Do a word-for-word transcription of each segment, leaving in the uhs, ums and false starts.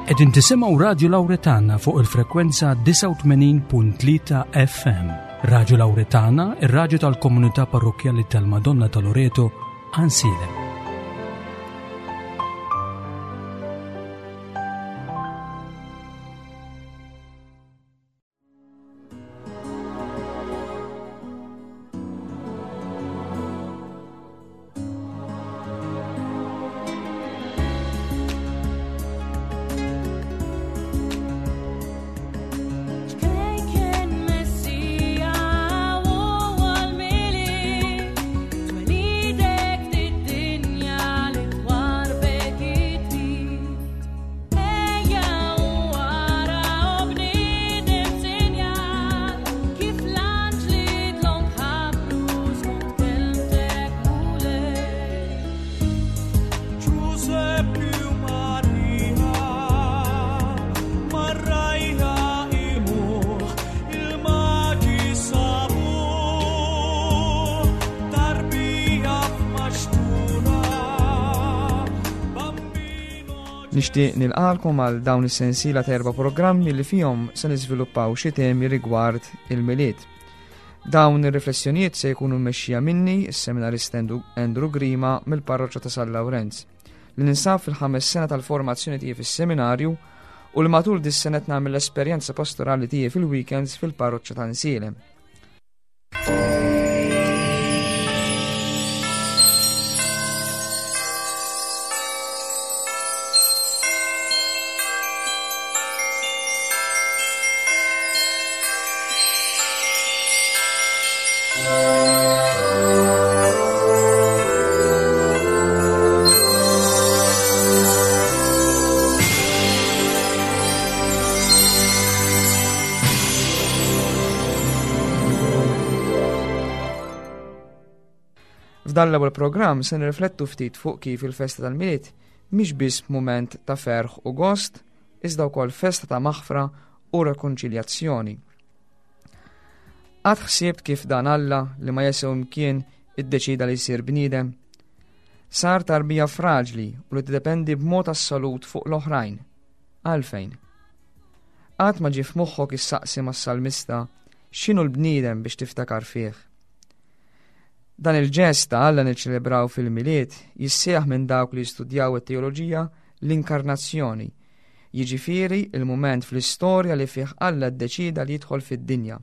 Qegħdin tisimgħu Radju Lawretana fuq il-frekwenza disgħa u tmenin punt tlieta F M. Radju Lawretana, ir-radju tal-komunità parrokkjali tal-Madonna ta' Loreto, Għajnsielem. Nixtieq nilqalkom għal dawn is-sensiela ta' erba' programmi li fihom se niżviluppaw xi temi rigward il-Milied. Dawn ir-riflessjonijiet se jkunu mmexxija minni, is-seminarist Andrew, Andrew Grima mill-Parroċċa ta' San Lawrenz, li ninsab fil-ħames sena tal-formazzjoni tiegħi fis-seminarju u li matul dis-sena qed nagħmel l-esperjenza pastorali tiegħi fil-weekends fil-Parroċċa ta' Għajnsielem. F'dan l-ewwel programm se nirriflettu ftit fuq kif il-festa tal-Milied mhix biss mument ta' ferħ u gost, iżda wkoll festa ta' maħfra u rekonċiljazzjoni. Qatt ħsibt kif dan Alla li ma jesew imkien iddeċida li jsir bniedem? Sar tarbija fraġli u li tiddependi b'mod assolut fuq l-oħrajn. Għalfejn? Qatt ma ġie f'moħħok issaqsi mas-salmista x'inhu l-bniedem biex tiftakar fih? Dan il-ġest ta' Alla niċċelebraw fil-Milied jissejjaħ minn dawk li jistudjaw it-teoloġija l-inkarnazzjoni, jiġifieri il-mument fl-istorja li fih Alla ddeċida li jidħol fid-dinja.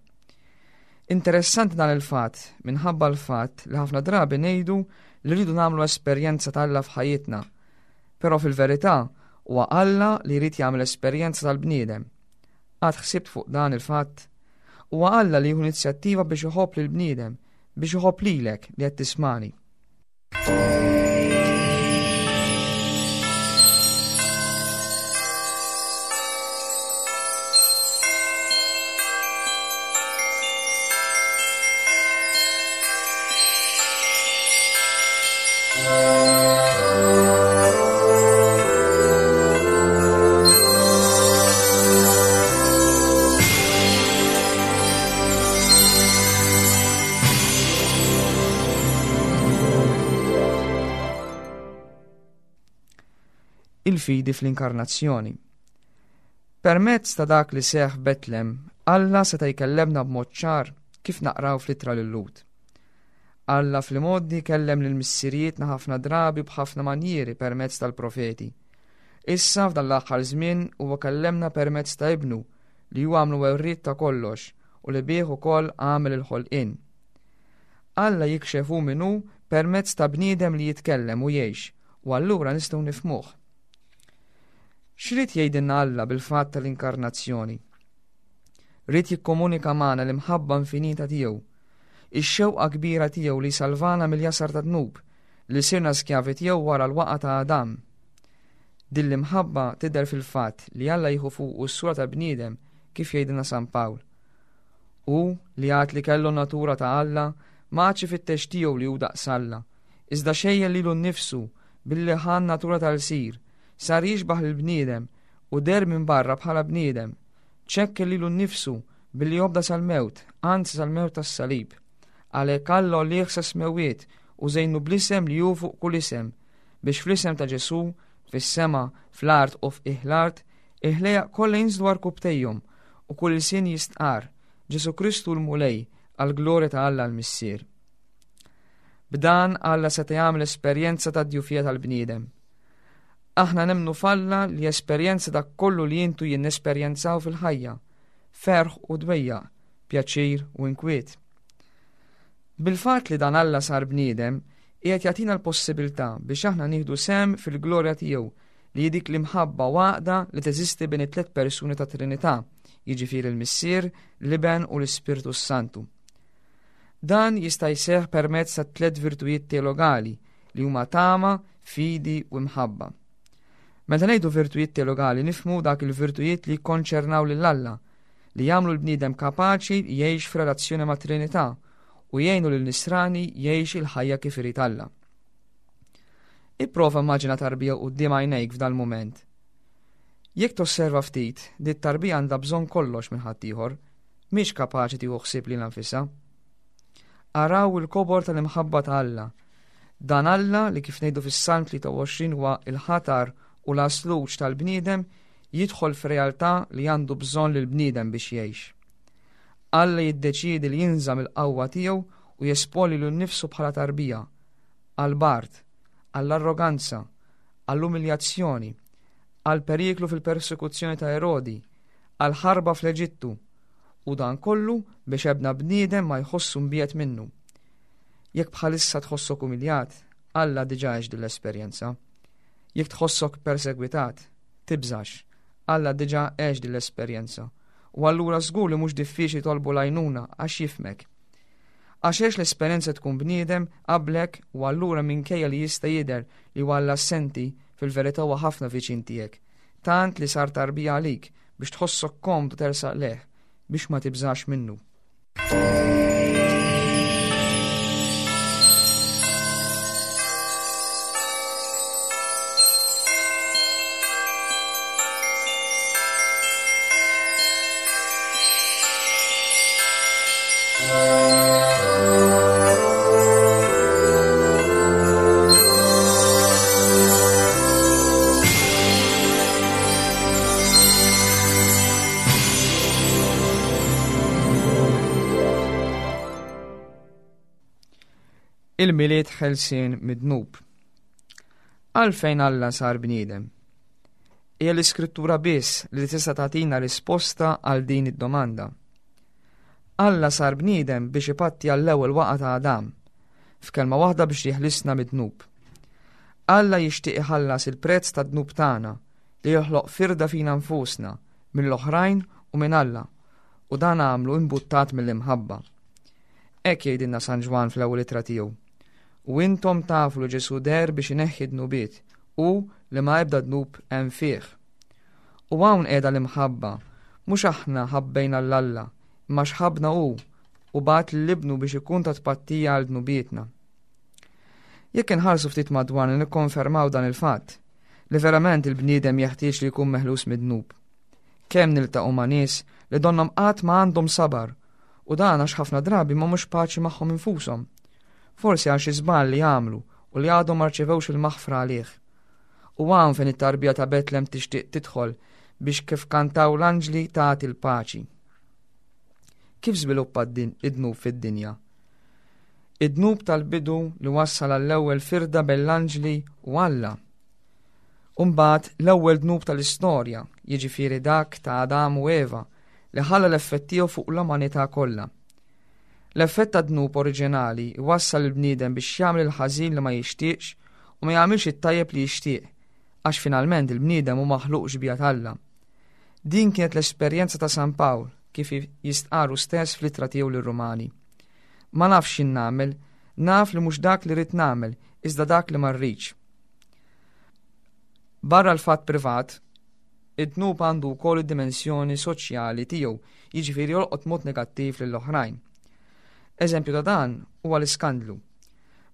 Interessanti dan il-fatt minħabba l-fatt li ħafna drabi ngħidu li rridu nagħmlu esperjenza ta' Alla f'ħajjitna, però fil-verità huwa Alla li jrid jagħmel esperjenza tal-bniedem. Qatt ħsibt fuq dan il-fatt? Huwa Alla li jieħu inizjattiva biex iħobb lill-bniedem, biex iħobb lilek li qed tismani. Il-fidi fl-inkarnazzjoni. Permezz ta' dak li seħħ Betlem, Alla seta' jkellemna b'mod ċar kif naqraw fl-ittra lil Lut. Alla fl-imgħoddi kellem lil missirijietna ħafna drabi b'ħafna manjieri permezz tal-profeti. Issa f'dan l-aħħar żmien huwa kellemna permezz ta' ibnu li huwa għamlu werriet ta' kollox u li bih ukoll għamel il-ħolqien. Alla jikxef hu min hu permezz ta' bniedem li jitkellem u jgħix, u allura nistgħu nifhmuh. X'rid jgħidilna Alla bil-fatt tal-inkarnazzjoni? Ried jikkomunika magħna l-imħabba infinita tiegħu, ix-xewqa kbira tiegħu li salvana mill-jasar ta' dnub li sirna skjavi tiegħu wara l-waqa ta' Adam. Din l-imħabba tidher fil-fatt li Alla jieħu fuqu s-sura ta' bniedem kif jgħidilna San Pawl. Hu li għad li kellu natura ta' Alla ma għadx ifittex tiegħu li hu daqs Alla, iżda xejjen lilu nnifsu billi ħa n-natura tal-sir, sar jixbaħ lill-bniedem u der minn barra bħala bniedem, ċekken lilu nnifsu billi jobda sal-mewt, anzi sal-mewt tas-salib. Għalhekk Alla għolih sa smewwiet u żejnu bl-isem li hu fuq kull isem, biex fl-isem ta' Ġesù, fis-sema, fl-art u f'qiegħ l-art, Il-ħlejjaq kollha jinżlu għarkupptejhom u kull ilsien jistqar Ġesù Kristu l-Mulej għall-glorja ta' Alla l-Missier. B'dan Alla seta' jagħmel esperjenza ta' djufija tal-bniedem. Aħna nemmnu f'Alla li esperjenza dak kollu li intu jien nesperjenzaw fil-ħajja, ferħ u dwejjaq, pjaċir u inkwiet. Bil-fatt li dan Alla sar bniedem, qiegħed jagħtina l-possibilità biex aħna nieħdu sehem fil-glorja tiegħu li hi dik l-imħabba u għaqda li teżisti bejn it-tliet persuni ta' Trinità, jiġifieri l-Missier, l-Iben u l-Ispirtu s-Santu. Dan jista' jseħħ permezz ta' tliet virtujiet teologali li huma tama, fidi u mħabba. Meta ngħidu virtujiet teologali nifhmu dak il-virtujiet li jikkonċernaw lil Alla, li jagħmlu l-bniedem kapaċi jgħix f'relazzjoni ma' Trinità u jgħinu lil nisrani jgħix il-ħajja kif irid Alla. Ipprova immaġina tarbija quddiem għajnejk f'dal mument. Jekk tosserva ftit, di tarbija għandha bżonn kollox minn ħaddieħor, mhix kapaċi tieħu ħsieb lilha nfisha. Araw il-kobor tal-imħabba ta' Alla. Dan Alla li kif ngħidu fis-Salm tlieta u għoxrin huwa il-ħatar u l-asluġ tal-bniedem jidħol f'realtà li għandu bżonn lill-bniedem biex jgħix. Alla jiddeċiedi li jinża' mill-qawwa tiegħu u jesponi lil nnifsu bħala tarbija, għall-bard, għall-arroganza, għall-umiljazzjoni, għall-periklu fil-persekuzzjoni ta' Erodi, għall-ħarba fl-Eġittu, u dan kollu biex ebna bniedem ma jħossu mbiegħed minnu. Jekk bħalissa tħossok umiljat, Alla diġà għex din l-esperjenza. Jekk tħossok persegwitat, tibżax, Alla diġà għex din l-esperjenza. U allura żgur li mhux diffiċli tolbu l-għajnuna għax jifhmek. Għax għex l-esperjenza tkun bniedem qablek u allura minkejja li jista' jidher li huwa Alla assenti, fil-verità huwa ħafna viċin tiegħek. Tant li sar tarbija għalik biex tħossok komdu tersaq leh, biex ma tibżax minnu. Il-Milied ħelsien mid-dnub. Għalfejn Alla sar bniedem? Hija l-Iskrittura biss li tista' tagħtina risposta għal din id-domanda. Alla sar bniedem biex ipatti għall-ewwel waqgħa ta' Adam, f'kelma waħda biex jeħlisna mid-dnub. Alla jixtieq iħallas il-prezz tad-dnub tagħna li joħloq firda fina nfusna mill-oħrajn u minn Alla, u dan għamlu imbuttat mill-imħabba. Hekk jgħidilna San Ġwann fl-ewwel ittra tiegħu. U intom tafu li Ġesù deher biex ineħħi dnubiet u li ma ebda dnub hemm fih. U hawn qiegħda l-imħabba, mhux aħna ħabbejna 'l Alla, imma x'ħabna hu u bagħat lil ibnu biex ikun ta' tpattija għal dnubietna. Jekk inħarsu ftit madwarna nikkonfermaw dan il-fatt, li verament il-bniedem jeħtieġ li jkun meħlus mid-dnub. Kemm niltaqgħu ma' nies li donnhom qatt ma għandhom sabar, u dan għax ħafna drabi ma mhux paċi magħhom infushom. Forsi għal xi żball li għamlu u li għadhom ma rċevewx il-maħfra għalih. U hawn fejn it-tarbija ta' Betlem tixtieq tidħol biex kif kantaw l-anġli tagħti l-paċi. Kif żviluppa d-din-, id-dnub fid-dinja? Id-dnub tal-bidu li wassal għall-ewwel firda bejn l-anġli u Alla. U mbagħad l-ewwel dnub tal-istorja, jiġifieri dak ta' Adam u Eva, li ħalla l-effett tiegħu fuq l-umanità kollha. L-effett ta' dnub oriġinali wassal il-bniedem biex jagħmel il-ħażin li ma jixtieqx u ma jagħmilx it-tajjeb li jixtieq, għax finalment il-bniedem hu maħluq xbieha t'Alla. Din kienet l-esperjenza ta' San Pawl kif jistqarru stess fl-ittra tiegħu lir-Rumani. Ma nafx x'in nagħmel, naf li mhux dak li rrid nagħmel, iżda dak li ma rridx. Barra l-fatt privat, id-dnub għandu wkoll id-dimensjoni soċjali tiegħu, jiġifieri jolqot mod negattiv lill-oħrajn. Eżempju ta' dan huwa l-iskandlu.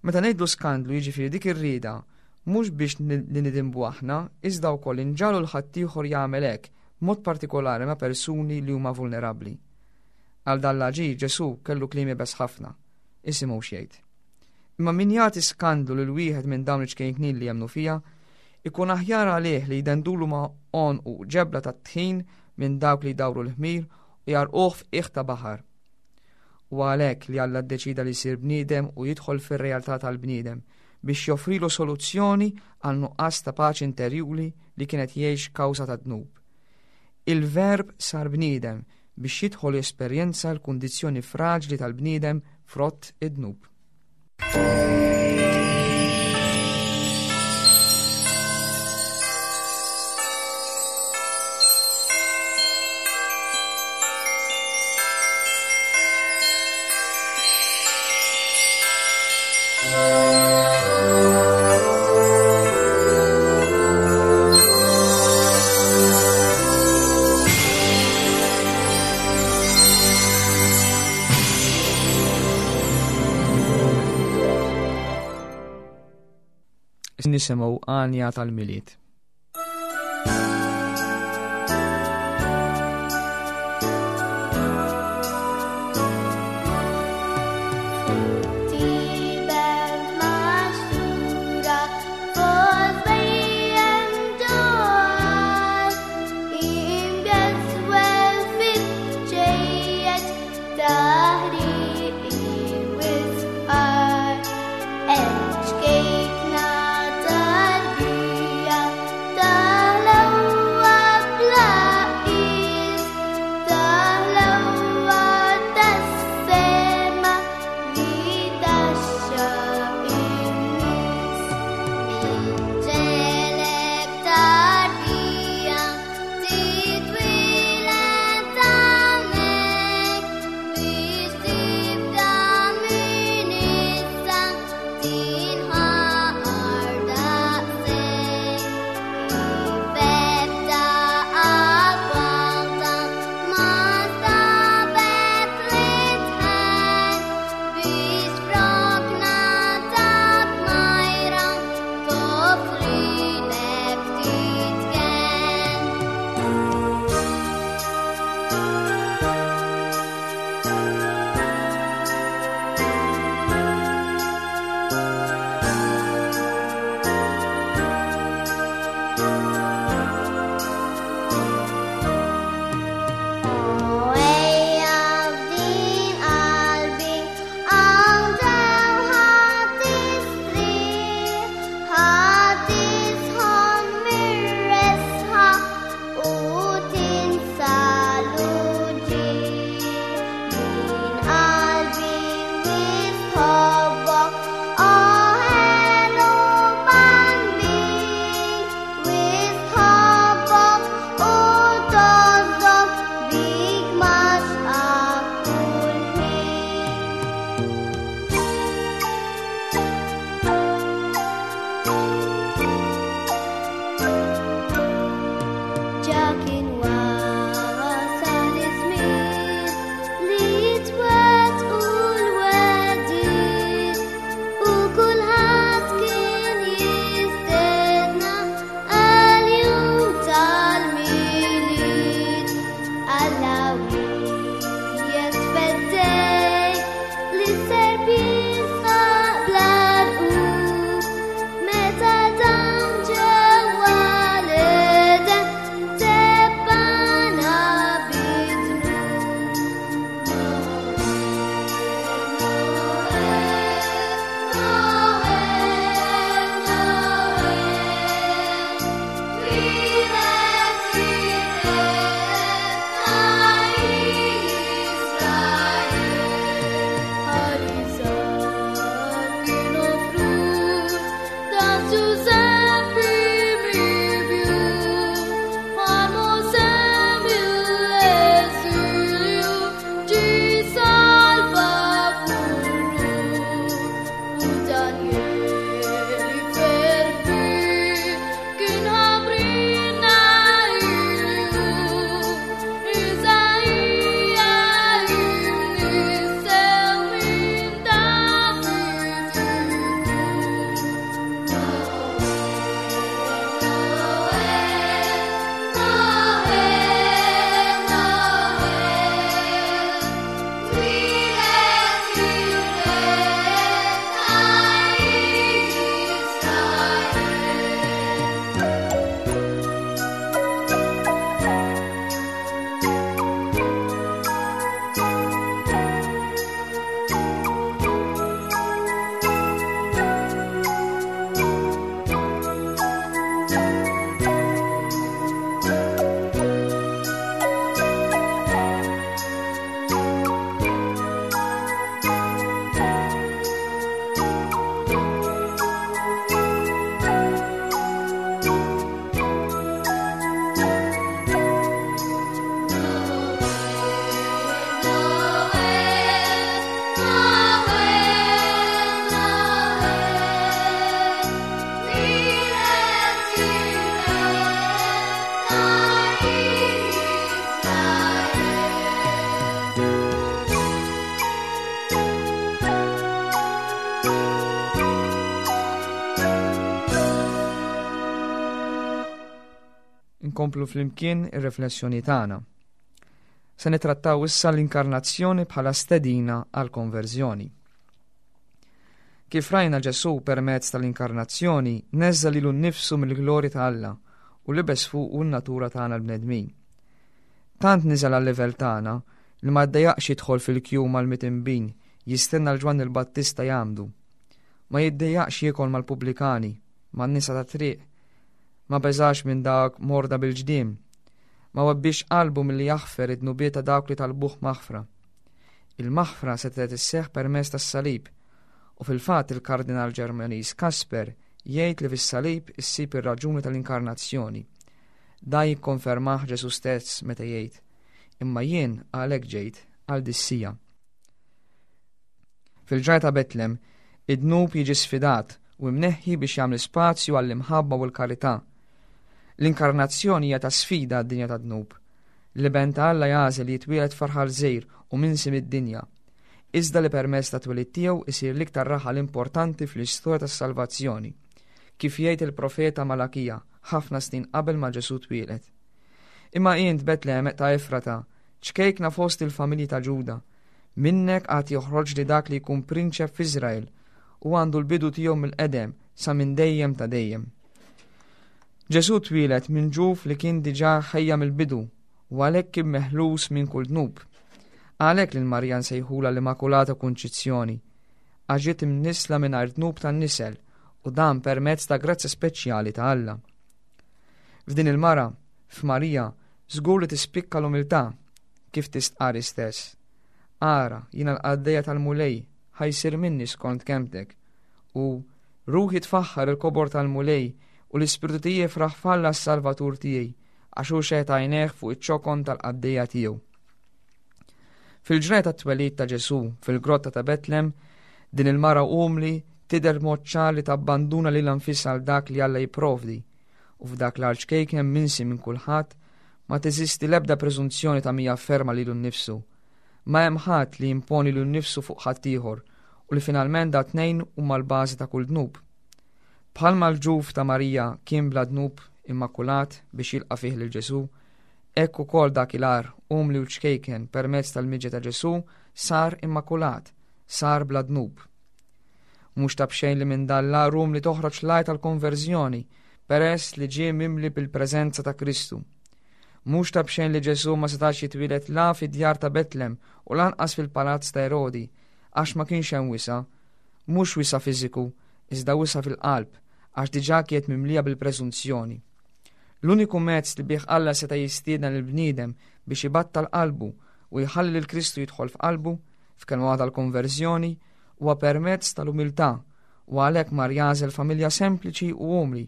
Meta ngħidlu skandlu jiġifieri dik ir-rieda mhux biex ni-, li nidinbu aħna, iżda wkoll inġagħlu l ħaddieħor jagħmel hekk, b'mod partikolari ma' persuni li huma vulnerabbli. Għal dan l-aġir Ġesù kellu kliem iebes ħafna, isimgħu x'jgħid. Imma min jagħti skandlu lil wieħed minn dawn iċ-ċkejknin li jemmnu fija, Ikun aħjar għalih li jdendulu ma' għonqu ġebla tat-tħin minn dawk li jdawru l-ħmir u jgħarrquh f'qiegħ ta' baħar. U għalhekk li Alla ddeċida li jsir bniedem u jidħol fir-realtà tal-bniedem biex joffrilu soluzzjoni għal nuqqas ta' paċi interjuri li kienet jgħix kawża ta' dnub. Il-Verb sar bniedem biex jidħol jesperjenza l-kundizzjoni fraġli tal-bniedem frott id-dnub. Nisimgħu għanja tal-Milied. Cake not a Inkomplu flimkien ir-riflessjoni tagħna. Se nitrattaw issa l-inkarnazzjoni bħala stedina għal konverżjoni. Kif rajna, Ġesù permezz tal-inkarnazzjoni neżża' lilu nnifsu mill-glorja ta' Alla u libes fuqu n-natura tagħna l-bnedmin. Tant niżel għal-livell tagħna li ma ddejjaqx jidħol fil-kju mal-midinbin jistenna lil Ġwanni l-Battista jgħammdu. Ma jiddejjaqx jiekol mal-pubblikani, man-nisa ta' triq, ma beżax minn dawk morda bil-ġdiem, ma webbix qalbu milli jaħfer id-dnubiet ta' dawk li talbuh maħfra. Il-maħfra setgħet isseħħ permezz tas-salib u fil-fatt il-Kardinal Ġermaniż Kasper jgħid li fis-salib issib ir-raġuni tal-inkarnazzjoni. Dan jikkonfermah Ġesù stess meta jgħid: "Imma jien għalhekk ġejt, għal dis-siegħa." Fil-ġrajja ta' Betlem, id-dnub jiġi sfidat u imneħħi biex jagħmel spazju għall-imħabba u l-karità. L-inkarnazzjoni hija ta' sfida għad-dinja ta' dnub. L-Iben ta' Alla jagħżel li jitwieled f'raħal żgħir u minsi mid-dinja. Iżda li permezz tat-twelid tiegħu isir l-iktar raħal importanti fl-istorja tas-salvazzjoni. Kif jgħid il-profeta Malakija ħafna snin qabel ma Ġesù twieled: "Imma int, Betlem ta' Efrata, ċkejkna fost il-familji ta' Ġuda, minnek għad joħroġ li dak li jkun prinċep f'Iżrael u għandu l-bidu tiegħu mill-qedem, sa minn dejjem ta' dejjem." Ġesù twieled minn ġuf li kien diġà ħejja mill-bidu u għalhekk kien meħlus minn kull dnub. Għalhekk lil Marija nsejħula l-Immakulata Kunċizzjoni, għax ġiet imnissla mingħajr dnub tan-nisel u dan permezz ta' grazzja speċjali ta' Alla. F'din il-mara, f'Marija, żgur li tispikka l-umiltà, kif tistqar stess: "Ara, jiena l-qaddejja tal-Mulej, ħa jsir minni skont kelmtek." U "ruħi tfaħħar il-kobor tal-Mulej u l-ispirtu tiegħi jifraħ f'Alla s-Salvatur tiegħi, għax hu xeħet għajnejh fuq iċ-ċokon tal-qaddejja tiegħu." Fil-ġrajja tat-twelid ta' Ġesù fil-grotta ta' Betlem, din il-mara umli tidher mod ċar li tabbanduna lilha nfisha għal dak li Alla jipprovdi, u f'dak l-għar ċkejken minsi minn kulħadd ma teżisti l-ebda preżunzjoni ta' min jafferma lilu nnifsu. Ma hemm ħadd li jimponi lilu nnifsu fuq ħaddieħor u li finalment dat-tnejn huma l-bażi ta' kull dnub. Bħalma l-ġuf ta' Marija kien bla dnub, immakulat biex jilqa' fih lil Ġesù, hekk ukoll dak il-għar umli u ċkejken permezz tal-miġja ta' Ġesù sar immakulat, sar bla dnub. Mhux ta' bxejn li minn dan l-għar umli toħroġ l-għajta tal-konverżjoni peress li ġie mimli bil-preżenza ta' Kristu. Mhux ta' bxejn li Ġesù ma setax jitwieled la fid-djar ta' Betlem u lanqas fil-palazz ta' Erodi, għax ma kienx hemm wisa', mhux wisa' fiżiku, iżda wisa' fil-qalb, għax diġà kienet mimlija bil-preżunzjoni. L-uniku mezz li bih Alla seta' jistieden lill-bniedem biex ibattal qalbu u jħalli lil Kristu jidħol f'qalbu, f'kelma waħda l-konverżjoni, huwa permezz tal-umiltà, u għalhekk mar jagħżel familja sempliċi u umli.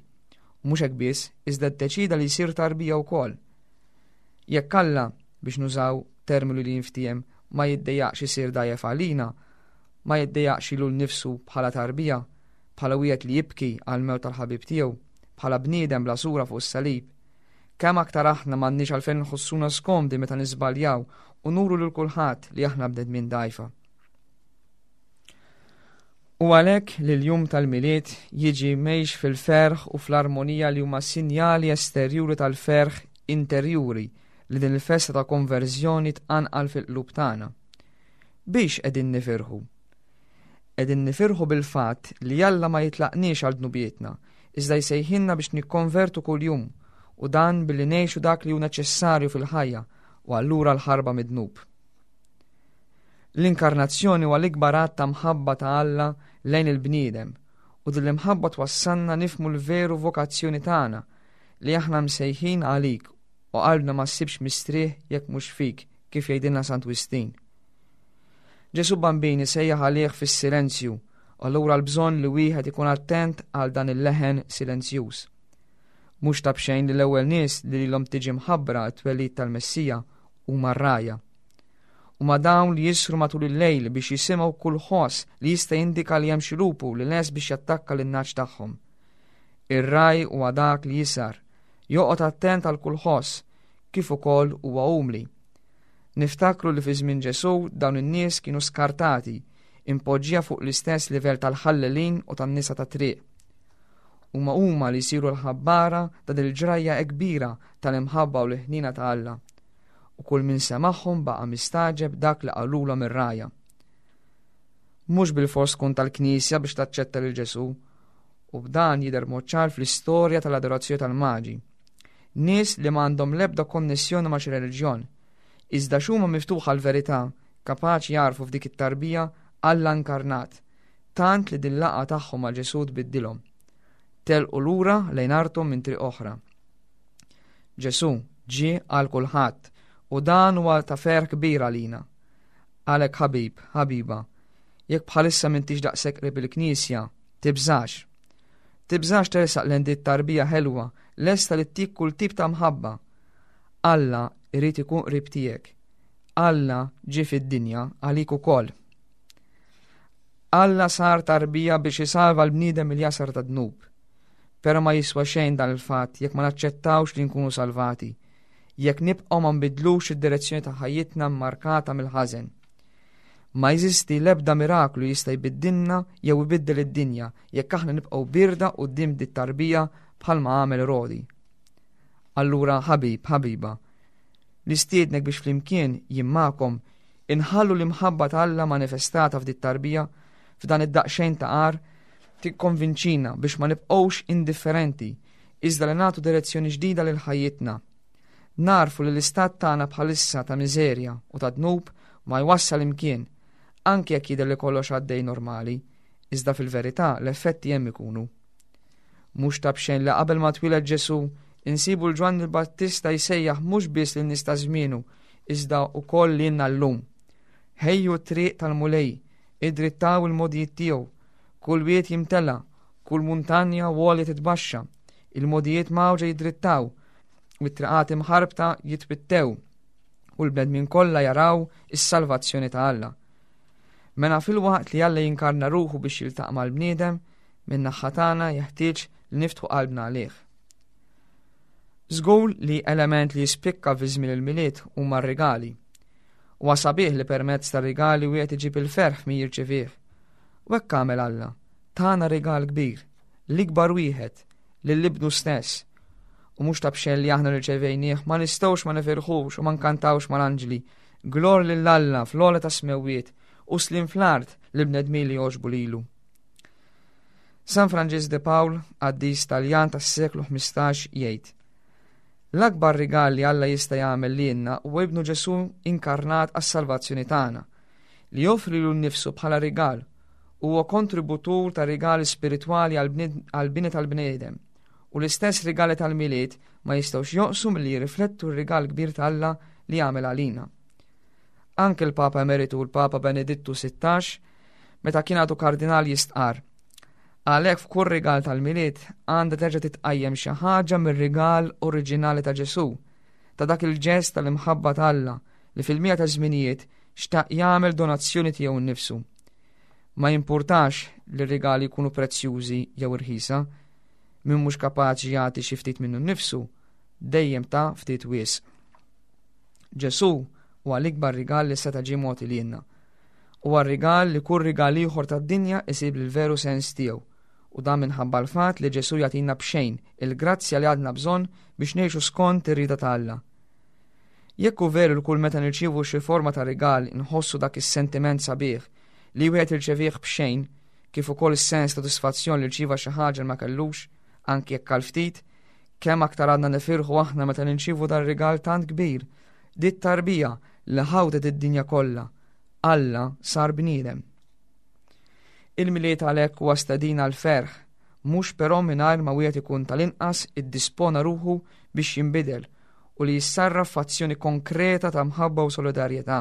U mhux hekk biss, iżda ddeċida li jsir tarbija wkoll. Jekk Alla, biex nużaw terminu li jinftiehem, ma jiddejjaqx isir dgħajjef għalina, ma jiddejjaqx lilu nnifsu bħala tarbija, bħala wieħed li jibki għal mewt tal-ħabib tiegħu, bħala bniedem bla sura fuq is-salib, kemm aktar aħna m'għandniex għalfejn nħossuna skomdi meta niżbaljaw u nuru lil kulħadd li aħna bnedmin dgħajfa. U għalhekk li l-jum tal-Milied jiġi mgħix fil-ferħ u fl-armonija li huma sinjali esterjuri tal-ferħ interjuri li din il-festa ta' konverżjoni tqanqal fil-qlub tagħna. Biex qegħdin nifirħu? Qegħdin nifirħu bil-fatt li Alla ma jitlaqniex għal dnubietna, iżda jsejħilna biex nikkonvertu kuljum, u dan billi ngħixu dak li hu neċessarju fil-ħajja u allura l-ħarba mid-dnub. L-inkarnazzjoni huwa l-ikbar att ta' mħabba ta' Alla lejn il-bniedem, u din l-imħabba twassalna nifhmu l-veru vokazzjoni tagħna, li aħna msejħin għalik u qalbna ma ssibx mistrieħ jekk mhux fik, kif jgħidilna Sant Wistin. Ġesù Bambin isejjaħ għalih fis-silenzju, u allura l-bżonn li wieħed ikun attent għal dan il-leħen silenzjuż. Mhux ta' bxejn li l-ewwel nies li lilhom tiġi mħabbra t-twelid tal-Messija huma r-rgħajja. Huma dawn li jisru matul il-lejl biex jisimgħu kull ħoss li jista' jindika li hemm xi lupu li les biex jattakka lin-nagħaġ tagħhom. Ir-ragħaj huwa dak li jisar, joqgħod attent għal kull ħoss, kif ukoll huwa umli. Niftakru li fi żmien Ġesù dawn in-nies kienu skartati, impoġġija fuq l-istess livell tal-ħallelin u tan-nisa ta' triq. Huma huma li jsiru l-ħabbara ta' din il-ġrajja kbira tal-imħabba u l-ħnina ta' Alla. U kull min semagħhom baqa' mistagħġeb dak li qalulhom ir-rgħajja. Mhux bilfors tkun tal-Knisja biex taċċetta lil Ġesù, u b'dan jidher mod ċar fl-istorja tal-adorazzjoni tal-Maġi. Nies li m'għandhom l-ebda konnessjoni ma' xi reliġjon, iżda x'huma miftuħa l-verità, kapaċi jagħrfu f'dik it-tarbija Alla inkarnat, tant li din laqgħa tagħhom ma' Ġesù tbiddilhom. Telqu lura lejn arthom minn triq oħra. Ġesù ġie għal kulħadd u dan huwa ta' ferħ kbir għalina. Għalhekk ħabib, ħabiba, jekk bħalissa m'intix daqshekk qrib il-Knisja, tibżax. Tibżax tersaq lejn dit tarbija ħelwa, lesta li ttik kull tip ta' mħabba. Alla irid ikun qrib tiegħek. Alla ġie fid-dinja għalik ukoll. Alla sar tarbija biex isalva l-bniedem mill-jasar ta' dnub. Però ma jiswa xejn dan il-fatt jekk ma naċċettawx li nkunu salvati, jekk nibqgħu ma nbidlux id-direzzjoni ta' ħajjitna mmarkata mill-ħażen. Ma jeżisti l-ebda miraklu jista' jbiddilna jew ibiddel id-dinja jekk aħna nibqgħu birda quddiem dit tarbija bħalma għamel Erodi. Allura ħabib, ħabiba, nistiednek biex flimkien jien magħkom inħallu l-imħabba ta' Alla manifestata f'dit tarbija f'dan id-daqsxejn ta' għar tikkonvinċina biex ma nibqgħux indifferenti iżda li nagħtu direzzjoni ġdida lil ħajjitna. Narfu li l-istat tagħna bħalissa ta' miżerja u ta' dnub ma jwassal imkien, anke jekk jidher li kollox għaddej normali, iżda fil-verità l-effetti hemm ikunu. Mhux ta' b'xejn li qabel ma twieled Ġesù insibu l-Ġwanni l-Battista jsejjaħ mhux biss lin nies ta' żmienu, iżda wkoll lilna llum. Ħejju t-triq tal-Mulej, idrittaw il-mogħdijiet tiegħu, kull wied jimtela, kull muntanja u għolja titbaxxa, il-mogħdijiet mgħawġa jidrittaw, u t-triqat imħarbta jitwittew, u l-bnedmin kollha jaraw is-salvazzjoni ta' Alla. Mela filwaqt li Alla jinkarna ruħu biex jiltaqa' mal-bniedem, minn naħa tagħna jeħtieġ li niftħu qalbna għalih. Żgur li element li jispikka fi żmien il-Milied huma r-rigali. Huwa sabiħ li permezz tar-rigali wieħed iġib il-ferħ min jirċevih. U hekk għamel Alla, tana rigal kbir, l-ikbar wieħed, lil ibnu stess. U mhux ta' b'xejn li aħna rċevejnieh ma nistgħux ma nifirħux u ma nkantawx mal-anġli. Glorja lil Alla fl-ogħla tas-smewwiet u sliem fl-art lill-bnedmin li jogħġbu lilu. San Franġisk de Paul, qaddis Taljan tas-seklu ħmistax, jgħid: L-akbar rigal li Alla jista' jagħmel lilna huwa ibnu Ġesù inkarnat għas-salvazzjoni tagħna, li joffri lilu nnifsu bħala rigal, huwa kontributur ta' rigali spiritwali għall-bini tal-bniedem, u l-istess rigali tal-Milied ma jistgħux jonqsu milli jirriflettu r-rigal kbir ta' Alla li għamel għalina. Anke l-Papa Emeritu l-Papa Benedittu sittax, meta kien għadu kardinal, jistqar: Għalhekk f'kull rigal tal-Milied għandha terġa' titqajjem xi ħaġa mir-rigal oriġinali ta' Ġesù, ta' dak il-ġest tal-imħabba ta' Alla li fil-mija ta' żminijiet xtaq jagħmel donazzjoni tiegħu nnifsu. Ma jimpurtax li r-rigali jkunu prezzjużi jew irħisa, min mhux kapaċi jagħti xi ftit minnu nnifsu, dejjem ta' ftit wisq. Ġesù huwa l-ikbar rigal li seta' ġie mogħti lilna. Huwa rigal li kull rigal ieħor tad-dinja isib l-veru sens tiegħu, u dan minħabba l-fatt li Ġesù jagħtina b'xejn il-grazzja li għandna bżonn biex ngħixu skont ir-rieda ta' Alla. Jekk hu veru li kull meta nirċievu xi forma ta' rigal inħossu dak is-sentiment sabiħ li wieħed irċevih b'xejn, kif ukoll is-sens ta' sodisfazzjon li rċieva xi ħaġa li ma kellux, anki jekk għal ftit, kemm aktar għandna nifirħu aħna meta nirċievu dan rigal tant kbir, dit tarbija li ħawtet id-dinja kollha. Alla sar bniedem. Il-Milied għalhekk huwa stedina l-ferħ, mhux però mingħajr ma wieħed ikun tal-inqas iddispona ruħu biex jinbidel u li jissarraf f'azzjoni konkreta ta' mħabba u solidarjetà.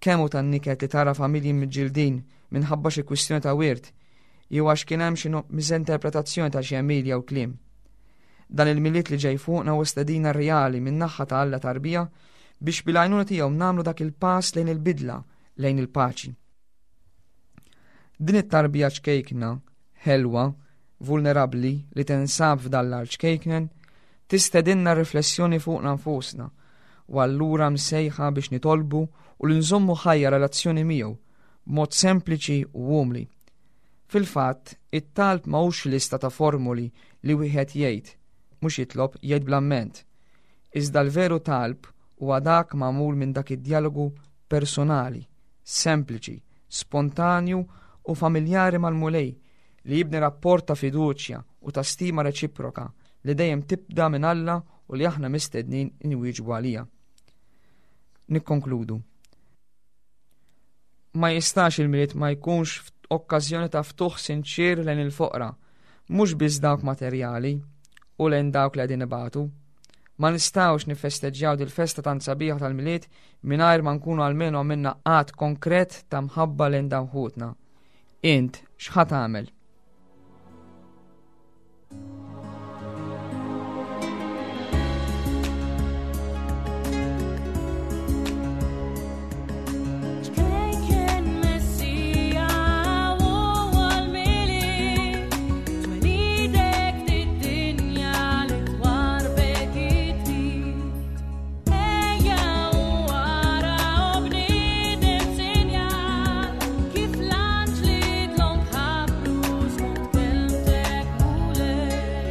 Kemm hu tan-niket li tara familji miġġildin minħabba xi kwistjoni ta' wirt, jew għax kien hemm xi miżinterpretazzjoni ta' xi għemil jew kliem. Dan il-Milied li ġej fuqna huwa stedina reali min-naħa ta' Alla tarbija biex bil-għajnuna tiegħu nagħmlu dak il-pass lejn il-bidla, lejn il-paċi. Din it-tarbija ċkejkna, ħelwa, vulnerabbli li tinsab f'dan l-għar ċkejknen, tistedinna riflessjoni fuqna nfusna, u allura msejħa biex nitolbu u li nżommu ħajja relazzjoni miegħu b'mod sempliċi u umli. Fil-fatt, it-talb ma hux lista ta' formuli li wieħed jgħid, mhux jitlob jgħid bl-amment. Iżda l-veru talb huwa dak magħmul minn dak id-dialogu personali, sempliċi, spontanju u familjari mal-Mulej li jibni rapport ta' fiduċja u ta' stima reċiproka li dejjem tibda minn Alla u li aħna mistednin inwieġbu għalija. Nikkonkludu. Ma jistax il-Milied ma jkunx okkażjoni ta' ftuħ sinċir lejn il-foqra, mhux biss dawk materjali u lejn dawk li qegħdin ibatu. Ma nistgħux nifesteġġjaw dil-festa tant sabiħa tal-Milied mingħajr ma nkunu almenu għamilna att konkret ta' mħabba lejn dawn ħutna. Int x'ħa tagħmel? Ċkejken Messija u għal-Milied, twelidek d-dinja li twarbek it-trid. Ejja u ara u bniedem sinjal, kif l-anġli dlonk ħabbru skont kelmtek Mulej.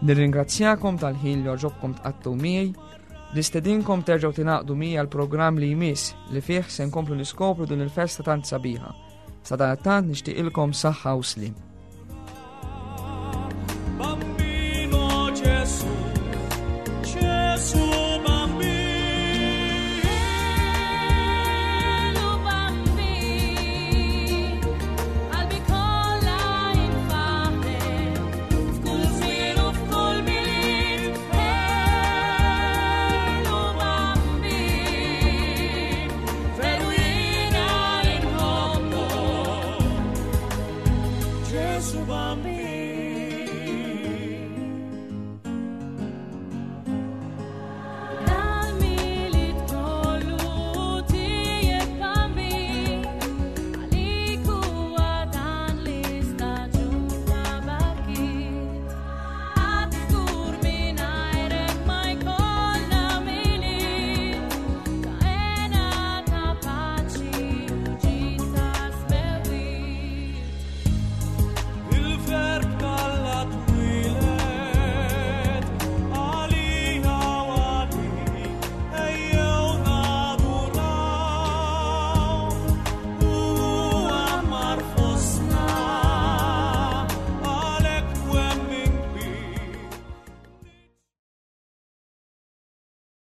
Nirringrazzjakom tal-ħin li għoġobkom tqattgħu miegħi. Nistedinkom terġgħu tingħaqdu miegħi għall-programm li jmiss li fih se nkomplu niskopru din il-festa tant sabiħa. Sadanittant nixtieqilkom saħħa u sliem. Bambino Gesù, Gesù bambino. Elu bambin, qalbi kollha infaħret, f'kull żmien u f'kull Milied. Elu bambin, veru jiena inħobbok. Gesù bambino.